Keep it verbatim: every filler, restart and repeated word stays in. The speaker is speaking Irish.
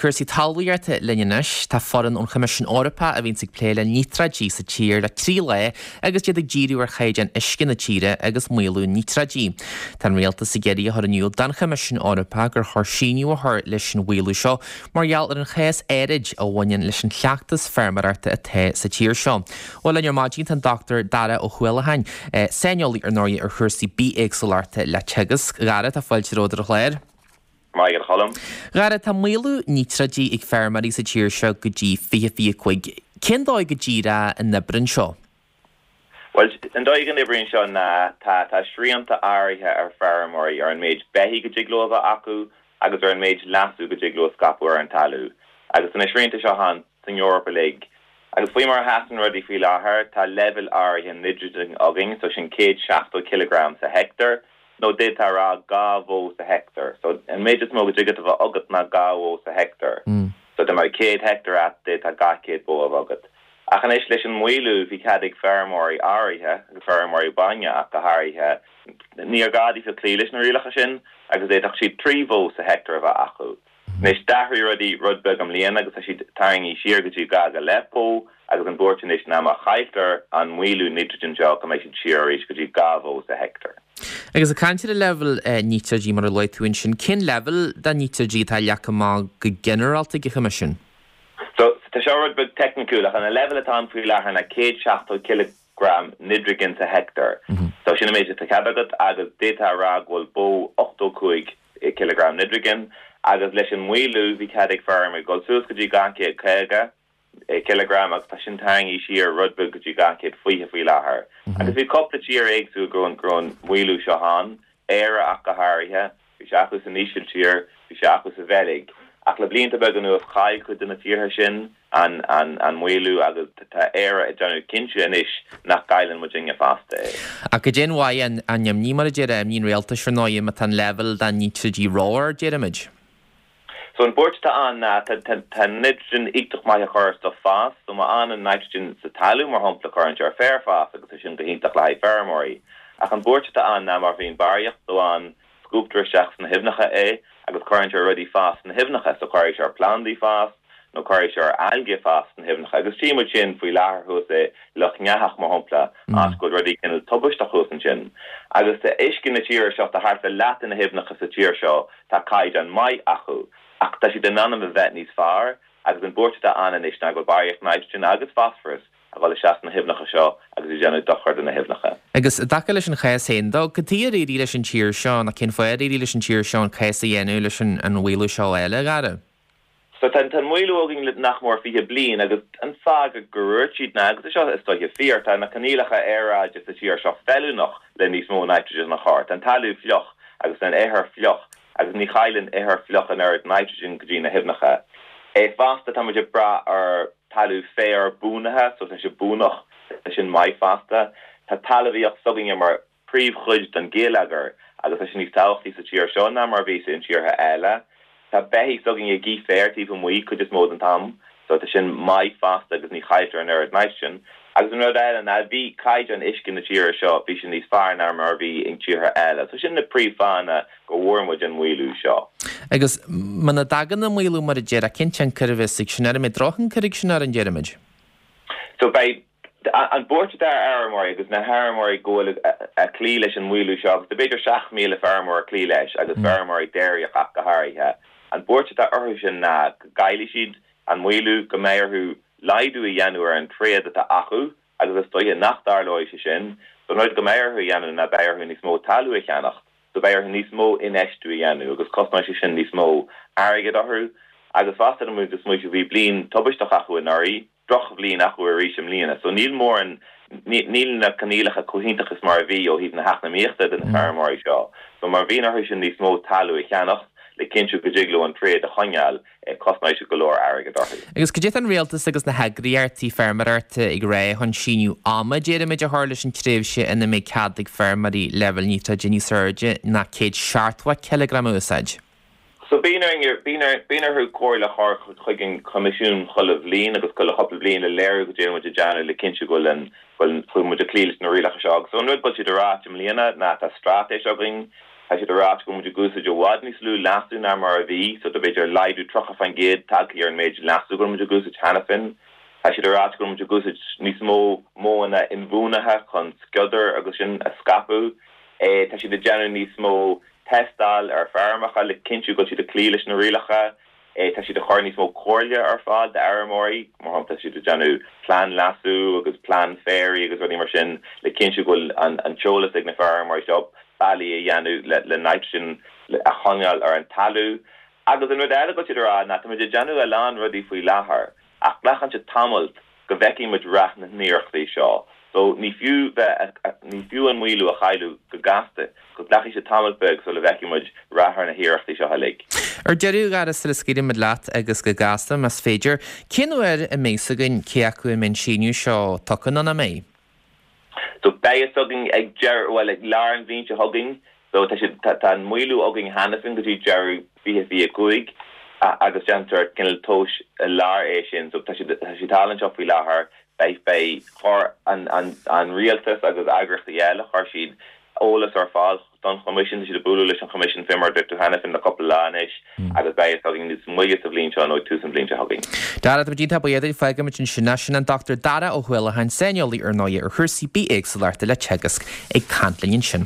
cúrsaí talmhaíochta linn anois. Tá foireann ón Choimisiún Eorpach a bhíonns ag plé le níotráidí sa tír le trí lá agus iad ag díriú ar chaighdeán uisce na tíre agus maolú níotráidí. Tá an rialtas ag iarraidh a chur in iúl don Choimisiún Eorpach gur chóir síneadh a chur leis an mhaolú seo mar gheall ar an chás áirid a bhaineann leis an chleachtas feirmeoireachta atá sa tír seo. Bhuel linn ar maidin tá an Dr Dara Ó Huallacháin, saineolaí ar ndóigh ar chúrsaí bithéagsúlachta le Teagasc. A Dhara tá fáilte romhat ar an chlár. Maidin a Choilm. A Dhara tá maolú níotráidí ag feirmeoirí sa tír seo go dtí fiche fiche cúig. Cén dóigh go díreach a n-oibríonn seo? Well an dóigh go n-oibríonn seo ná tá tá srianta áirithe ar feirmeoirí ar an méid beithígh go dtig leo a bheith acu agus ar an méid leasú go dtig leo scaipeadh ar an talamh. Agus na srianta seo ann san Eoraip uilig. Agus faoi mar a sheasann rudaí faoi láthair tá leibhéal áirithe nitrogen againn, so sin céad seachtó kilogram sa heicteár, nó d'fhéadfá a rá dhá bhó sa heicteár. So an méid is mó go dtig a bheith agat ná dhá bhó sa heicteár. Mm. So dá mbeadh céad heicteár agat d'fhéadfá dhá chéad bó a bheith agat. Ach anois leis an maolú bhí cead ag feirmeoirí áirithe agus feirmeoirí bainne ach go háirithe níor ghá daofa cloí leis na rialacha sin agus d'fhéadfadh siad trí bhó sa heicteár a bheith acu. Anois d'athraigh rudaí rud beag i mbliana agus tá siad tarraingthe siar go dtí dhá go leith bó agus an buairt anois ná má chailltear an maolú nitrogen seo go mbeidh siad siar arís go dtí dhá bhó sa heicteár. Agus ag caint ar an leibhéal níotráidí mar a luaigh tú ansin, cén leibhéal de níotráidí atá leagtha amach go ginearálta ag an Choimisiún? So tá seo rud beag teicniúil ach an leibhéal atá ann faoi láthair ná céad seachtó kilogram nitrogen sa heicteár. So sin an méid atá cead agat agus d'fhéadfá a rá go bhfuil bó ochtó cúig kilogram nitrogen agus leis an maolú bhí cead ag feirmeoirí dul suas go dtí dhá chéad caoga kilogram agus tá sin tarraingthe siar rud beag go dtí dhá chéad fiche faoi láthair. Agus bhí cúpla tír éagsúil go raibh an maolú seo ann, Éire ach go háirithe, bhí sé acu san Ísiltír, bhí sé acu sa Bheilg. Ach le blianta beaga anuas chaill cuid de na tíortha sin an an an maolú agus tá Éire ag déanamh cinnte anois nach gcailleann muidinne fosta é. Ach go dtéann mhaith an an imní mar a deir imní an rialtais ar ndóigh má tá an leibhéal de níotráidí ró-ard déarfaimid. So an buairt atá ann ná tá nitrogen iontach maith a chur stuff fás, so má fhanann nitrogen sa talamh mar shampla cuireann sé ar féar fás agus é sin go hiontach le haghaidh feirmeoirí. Ach an buairt atá ann ná má bhíonn barraíocht dó ann scuabtar isteach sna haibhneacha é agus cuireann sé rudaí fás sna haibhneacha, so cuirfidh sé ar plandaí fás nó cuirfidh sé ar algae fás sna haibhneacha agus tchí muid sin faoi láthair thuas i Loch nEathach mar shampla áit go bhfuil rudaí cineál tubaisteach thuas ansin. Agus tá uisce na tíre seo tá thart ar leath de na haibhneacha sa tír seo tá caighdeán maith acu. Ach tá siad in ainm a bheith níos fearr agus an buairt atá ann anois ná go bhfuil barraíocht nitrogen agus phosphorus a bhfuil isteach sna haibhneacha seo agus ag déanamh dochar do na haibhneacha. Agus i dtaca leis an chás féin dó, cad chuige ar éirigh leis an tír seo nó cén fáth ar éirigh leis an tír seo an cás a dhéanamh leis an an mhaolú seo eile, a Dhara? So tá an maolú againn le nach mór fiche bliain agus an fáth go dúirt siad ná agus seo is dóiche fíor tá na coinníollacha aeráide sa tír seo feiliúnach le níos mó nitrogen a chur. Tá an talamh fliuch agus an ithir fliuch agus ní chailleann ithir fliuch an oiread nitrogen go dtí na haibhneacha. É fosta tá muid ag brath ar talamh féar buanaithe, so tá sé buanach tá sin maith fosta. Tá talmhaíocht s'againne mar príomhchuid den gheilleagar agus tá sin níos tábhachtaí sa tír seo ná mar bhí in tíortha eile. Tá beithígh s'againne ag ithe féar taobh amuigh cuid is mó den t-am, so tá sin maith fosta agus ní chailltear an oiread nitrogen. Agus an rud eile ná bhí caighdeán uisce na tíre seo bhí sin níos fearr ná mar bhí in tíortha eile. So sin na príomhfháthanna go bhfuair muid an maolú seo. Agus muna dtagann an maolú mar a deir cén tionchar a bheas ag sin ar an mbeidh drochthionchar ag sin ar an déarfaimid. So beidh an buairt atá ar fheirmeoirí agus na feirmeoirí go bhfuil ag cloí leis an maolú seo agus b'fhéidir seacht míle feirmeoir ag cloí leis agus feirmeoirí déiríoch ach go háirithe. An buairt atá orthu sin ná go gcaillfidh siad an maolú go mbeidh orthu laghdú a dhéanamh ar an tréad atá acu agus is dóiche nach dtarlóidh sé sin, so an rud go mbeidh orthu a dhéanamh ná beidh orthu níos mó talamh a cheannacht, so beidh orthu níos mó infheistiú a dhéanamh agus cosnóidh sé sin níos mó airgead orthu agus fosta muid is muid bhí bliain tubaisteach acu anuraidh, drochbhliain acu arís i mbliana, so níl mórán níl na coinníollacha chomh hiontach is mar a bhí ó thaobh na heacnamaíochta de na feirmeoirí seo. So mar bhíonn orthu sin níos mó talamh a cheannacht le cinntiú go dtig leo an tréad a choinneáil cosnóidh sé go leor airgead orthu. Agus cad é atá an rialtas agus na heagraíochtaí feirmeoireachta ag rá chun síneadh ama déarfaimid a chur leis an tréimhse ina mbeidh cead ag feirmeoirí leibhéal níotráide níos airde ná céad seachtó cileagram a úsáid. So bíonn bíonn orthu comhairle a chur chuig an Coimisiún chuile bhliain agus chuile chúpla bliain le léiriú go dtéann muid ag déanamh le cinntiú go bhfuil an bhfuil muid ag cloí leis na rialacha seo. So an rud go bhfuil siad ag rá i mbliana ná tá straitéis againn Tá siad ag rá go bhfuil muid ag úsáid i bhfad níos lú leasú ná mar a bhí, so tá b'fhéidir laghdú tríocha faoin gcéad tagtha ar an méid leasú go bhfuil muid ag úsáid cheana féin. Tá siad ag rá go bhfuil muid ag úsáid níos mó modhanna inbhuanaithe chun sciodair agus sin a scaipeadh. Tá siad ag déanamh níos mó tástáil ar feirmeacha le cinntiú go bhfuil siad ag cloí leis na rialacha. Tá siad ag cur níos mó comhairle ar fáil d'fheirmeoirí, mar shampla tá siad ag déanamh plean leasú agus plean féaraigh agus rudaí mar sin le cinntiú go bhfuil an t-eolas ag na feirmeoirí seo bealaí a dhéanamh le le nitrogen a choinneáil ar an talamh. Agus an rud eile go bhfuil siad ag rá ná tá muid ag déanamh a lán rudaí faoi láthair ach glacann sé tamall go bhfeicfidh muid rath na n-iarrachtaí seo. So ní fiú bheith, ní fiú an maolú a chailleadh go gasta, go nglacfaidh sé tamall beag sula bhfeicfidh muid rath ar na hiarrachtaí seo uilig. Ar deireadh, a Dhara, sula scaoilfidh muid leat agus go gasta más féidir, cén uair a mbeidh fhios againn cé acu an mbeidh an síneadh seo tugtha nó nach mbeidh? So beidh fhios againn ag deireadh, bhuel ag lár an bhliain seo chugainn, so tá siad, tá an maolú againn cheana féin go dtí deireadh fiche fiche cúig agus déantar cineál tomhas i lár é sin, so tá siad, tá siad thall anseo faoi láthair. Beidh, beidh, chuir an, an, an rialtas agus eagraíochtaí eile, chuir siad eolas ar fáil don Choimisiún, tá siad ag bualadh leis an Choimisiún fé mar a dúirt tú cheana féin le cúpla lá anois agus beidh fhios againn níos moille sa bhliain seo nó ag tús an bhliain seo chugainn. Dara, tá muid iontach buíoch duit, fágfaimid ansin é. Sin an Dochtúir Dara Ó hUallacháin, saineolaí ar ndóigh ar chúrsaí bithéagsúlachta le Teagasc ag caint linn ansin.